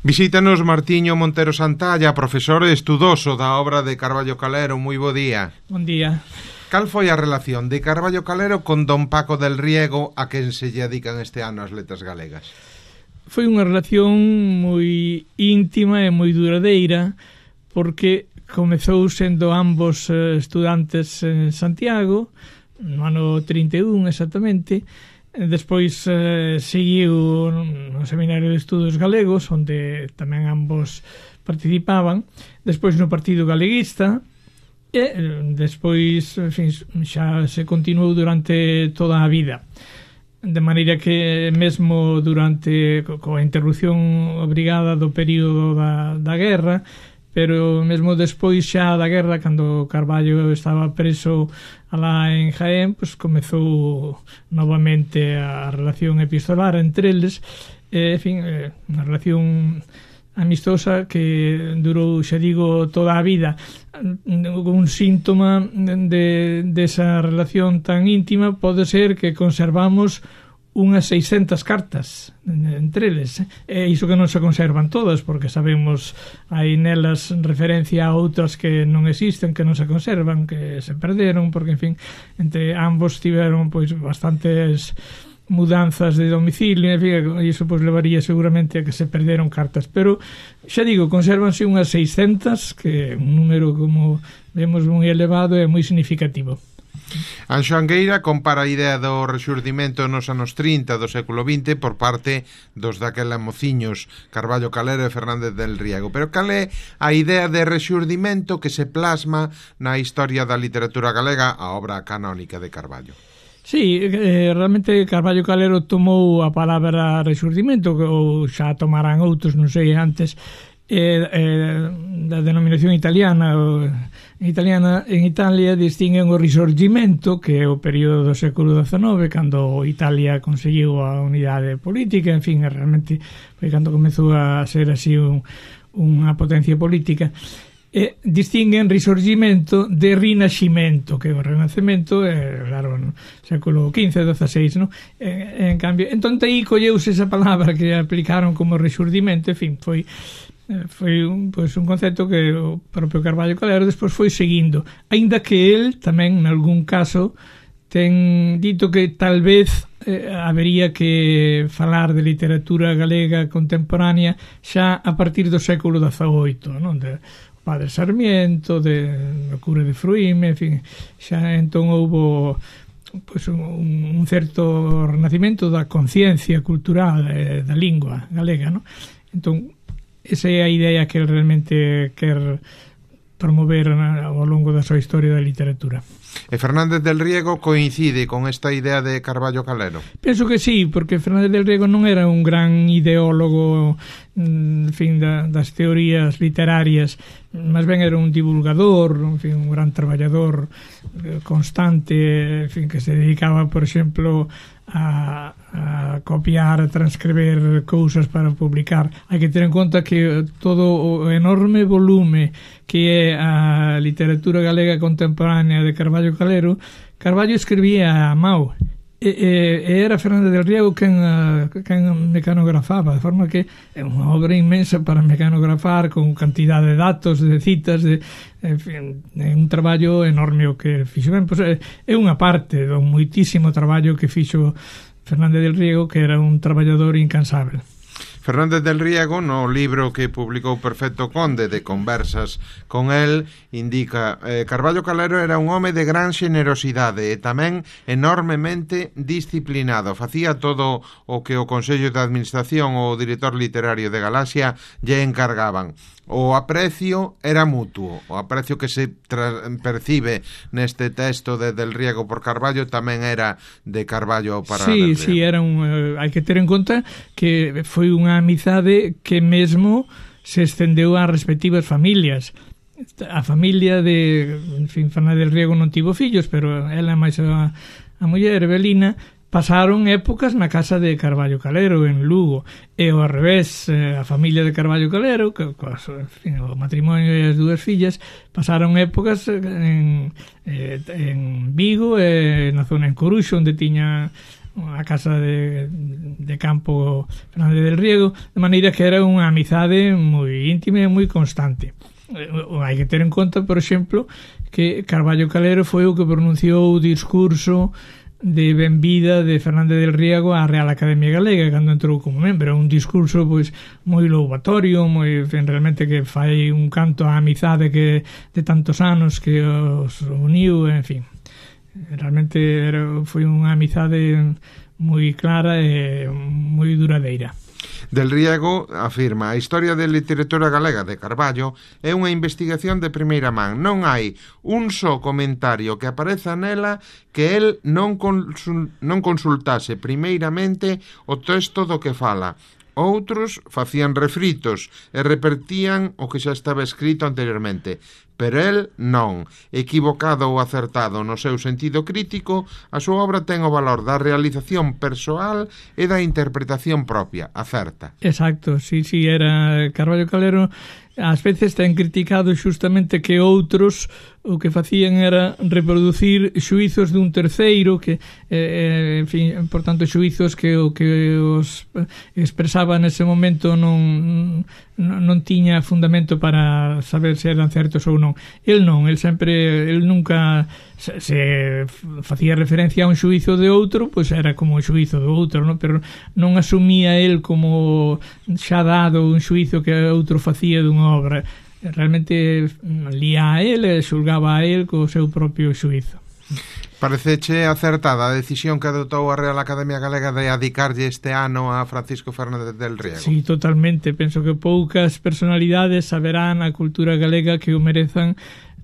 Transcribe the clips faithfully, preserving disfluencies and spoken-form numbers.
Visítanos Martiño Montero Santalla, profesor e estudoso da obra de Carballo Calero. Moi bo día. Bon día. Cal foi a relación de Carballo Calero con don Paco del Riego, a quen se lle dedican este ano as letras galegas? Foi unha relación moi íntima e moi duradeira, porque comezou sendo ambos estudantes en Santiago, no ano trinta e un exactamente. Despois eh, seguiu no Seminario de Estudos Galegos, onde tamén ambos participaban. Despois no Partido Galeguista, e despois, en fin, xa se continuou durante toda a vida. De maneira que mesmo durante coa interrupción obrigada do período da, da guerra, pero mesmo despois xa da guerra, cando Carballo estaba preso alá en Jaén, pues comezou novamente a relación epistolar entre eles, e, en fin, unha relación amistosa que durou, xa digo, toda a vida. Un síntoma de, de esa relación tan íntima pode ser que conservamos unhas seiscentas cartas entre eles, e iso que non se conservan todas, porque sabemos hai nelas referencia a outras que non existen, que non se conservan, que se perderon, porque, en fin, entre ambos tiveron pois bastantes mudanzas de domicilio, en fin, e iso pois levaría seguramente a que se perderon cartas, pero xa digo, consérvanse unhas seiscentas, que é un número, como vemos, moi elevado e moi significativo. Anxo Angueira compara a idea do rexurdimento nos anos trinta do século vinte por parte dos daquela mociños Carballo Calero e Fernández del Riego. Pero cal é a idea de rexurdimento que se plasma na historia da literatura galega, a obra canónica de Carballo? Sí, eh, realmente Carballo Calero tomou a palabra rexurdimento, ou xa tomarán outros, non sei, antes, eh, eh, da denominación italiana. En italiana, en Italia distinguen o Risorgimento, que é o período do século dezenove, cando Italia conseguiu a unidade política, en fin, realmente foi cando comezou a ser así un, unha potencia política. E distinguen Risorgimento de Rinascimento, que é o Renacemento, é, claro, no século quince, dezaseis, no? E, en cambio, entón aí colleuse esa palabra que aplicaron como Rexurdimento, en fin, foi foi un, pois, un concepto que o propio Carballo Calero despois foi seguindo, aínda que el tamén en algún caso ten dito que tal vez eh, habería que falar de literatura galega contemporánea xa a partir do século dezaoito, non? De Padre Sarmiento, de o Cura de Fruíme, en fin, xa entón houbo pois, un, un certo renacimento da conciencia cultural eh, da lingua galega, non? Entón esa é a idea que ele realmente quer promover ao longo da súa historia da literatura. E Fernández del Riego coincide con esta idea de Carballo Calero? Penso que sí, porque Fernández del Riego non era un gran ideólogo, en fin, da, das teorías literarias, máis ben era un divulgador, en fin, un gran traballador constante, en fin, que se dedicaba, por exemplo, a, a copiar, a transcribir cousas para publicar. Hai que ter en conta que todo o enorme volume que é a literatura galega contemporánea de Carballo Calero, Carballo escribía a mao, e, e, e era Fernández del Riego quen, quen mecanografaba, de forma que é unha obra inmensa para mecanografar, con cantidad de datos, de citas, de, en fin, é un traballo enorme o que fixo. Ben, pois, é, é unha parte do moitísimo traballo que fixo Fernández del Riego, que era un traballador incansável. Fernández del Riego, no libro que publicou Perfecto Conde de conversas con el, indica eh, Carballo Calero era un home de gran xenerosidade e tamén enormemente disciplinado. Facía todo o que o Consello de Administración ou o director literario de Galaxia lle encargaban. O aprecio era mutuo, o aprecio que se percibe neste texto de Del Riego por Carballo tamén era de Carballo para sí, Del Riego. Sí, era un, uh, hai que ter en conta que foi unha amizade que mesmo se estendeu ás respectivas familias. A familia de, en fin, Fernández del Riego non tivo fillos, pero ela máis a, a muller, Evelina, pasaron épocas na casa de Carballo Calero en Lugo, e ao revés, a familia de Carballo Calero, que, en fin, o matrimonio e as dúas fillas, pasaron épocas en, en Vigo e na zona en Coruxo, onde tiña a casa de, de campo Fernández del Riego, de maneira que era unha amizade moi íntima e moi constante. Hai que ter en conta, por exemplo, que Carballo Calero foi o que pronunciou o discurso de benvida de Fernández del Riego á Real Academia Galega cando entrou como membro. Un discurso pois moi louvatorio, moi, en, realmente que fai un canto á amizade que de tantos anos que os uniu, en fin. Realmente era, foi unha amizade moi clara e moi duradeira. Del Riego afirma: a historia da literatura galega de Carballo é unha investigación de primeira man. Non hai un só comentario que apareza nela que el non, consul, non consultase primeiramente o texto do que fala. Outros facían refritos e repetían o que xa estaba escrito anteriormente. Pero el non. Equivocado ou acertado no seu sentido crítico, a súa obra ten o valor da realización persoal e da interpretación propia. Acerta. Exacto, sí, sí, era Carballo Calero. Ás veces ten criticado xustamente que outros o que facían era reproducir xuizos dun terceiro que, eh, en fin, por tanto, xuizos que o que os expresaba nese momento non, non, non tiña fundamento para saber se eran certos ou non. El non, el sempre, el nunca se, se facía referencia a un xuizo de outro, pois era como o xuizo do outro, non? Pero non asumía el como xa dado un xuizo que outro facía dunha obra. Realmente lía a él e xulgaba a él co seu propio xuizo. Pareceche acertada a decisión que adotou a Real Academia Galega de adicarlle este ano a Francisco Fernández del Riego? Sí, totalmente. Penso que poucas personalidades saberán a cultura galega que o merezan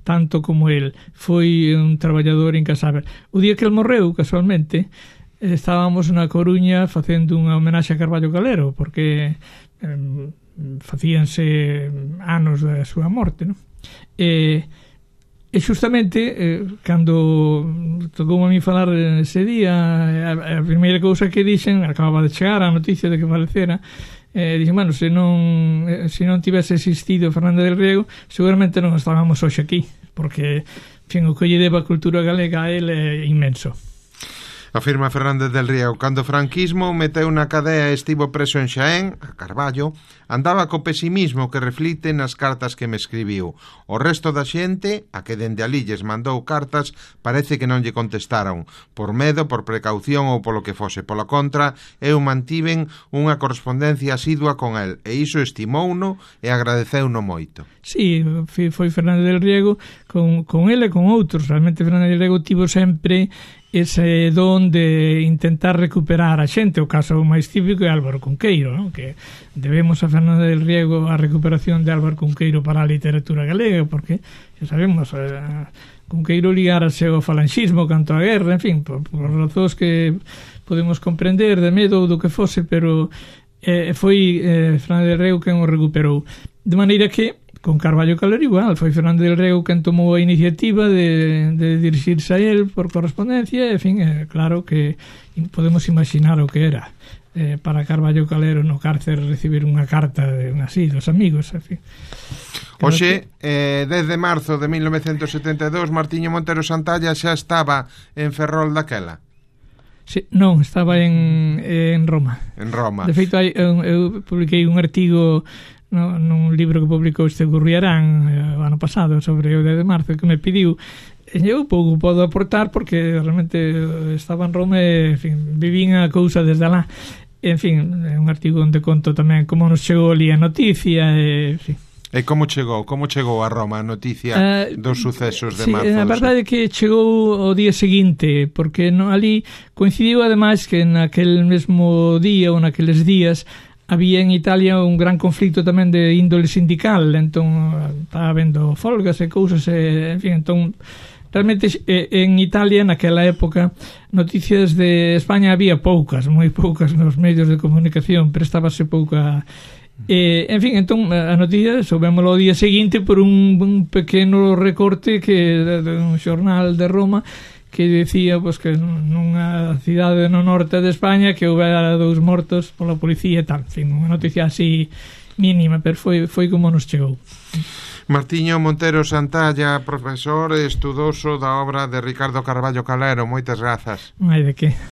tanto como el. Foi un traballador incasável. O día que el morreu, casualmente, estábamos na Coruña facendo unha homenaxe a Carballo Calero, porque eh, facíanse anos da súa morte, non? E, e justamente eh, cando tocou a mí falar ese día, a, a primeira cousa que dixen, acababa de chegar a noticia de que falecera, eh, dixen, bueno, se non se non tivese existido Fernández del Riego, seguramente non estábamos hoxe aquí, porque, en fin, o que lle deba a cultura galega a ele é inmenso. Afirma Fernández del Riego: cando o franquismo meteu na cadea e estivo preso en Xaén, a Carballo, andaba co pesimismo que reflite nas cartas que me escribiu. O resto da xente, a que dende alí lles mandou cartas, parece que non lle contestaron, por medo, por precaución ou polo que fose. Polo contra, eu mantiven unha correspondencia asidua con el, e iso estimouno e agradeceuno moito. Sí, foi Fernández del Riego con, con ele e con outros. Realmente Fernández del Riego tivo sempre ese don de intentar recuperar a xente. O caso máis típico é Álvaro Cunqueiro, non? Que debemos a Fernández del Riego a recuperación de Álvaro Cunqueiro para a literatura galega, porque xa sabemos, eh, Cunqueiro ligárase ao falanxismo canto a guerra, en fin, por, por razóns que podemos comprender de medo ou do que fose, pero eh, foi eh, Fernández del Riego quen o recuperou. De maneira que con Carballo Calero igual, foi Fernández del Riego quen tomou a iniciativa de, de dirixirse a él por correspondencia, e, en fin, é claro que podemos imaginar o que era eh, para Carballo Calero no cárcer recibir unha carta de así, dos amigos, en fin. Oxe, eh, desde marzo de mil novecentos setenta e dous, Martiño Montero Santalla xa estaba en Ferrol daquela? Sí, non, estaba en, en Roma. En Roma. De feito, hai, eu, eu publiquei un artigo no, nun libro que publicou este Gurriarán eh, o ano pasado sobre o dez de marzo que me pediu, e eu pouco podo aportar porque realmente estaba en Roma e, en fin, vivín a cousa desde lá. En fin, é un artigo onde conto tamén como nos chegou ali a noticia e, en fin. E como chegou? Como chegou a Roma a noticia uh, dos sucesos de sí, marzo? A verdade é que chegou o día seguinte, porque no, ali coincidiu ademais que naquel mesmo día ou naqueles días había en Italia un gran conflicto tamén de índole sindical, entón estaba habendo folgas e cousas, e, en fin, entón realmente en Italia naquela época noticias de España había poucas, moi poucas nos medios de comunicación, prestábase pouca. E, en fin, entón a noticia soubémolo o día seguinte por un, un pequeno recorte que de, de un xornal de Roma que decía pues, que nunha cidade no norte de España que houbera dous mortos pola policía e tal, en fin, unha noticia así mínima, pero foi, foi como nos chegou. Martiño Montero Santalla, profesor e estudoso da obra de Ricardo Carballo Calero, moitas grazas. Non hai de que.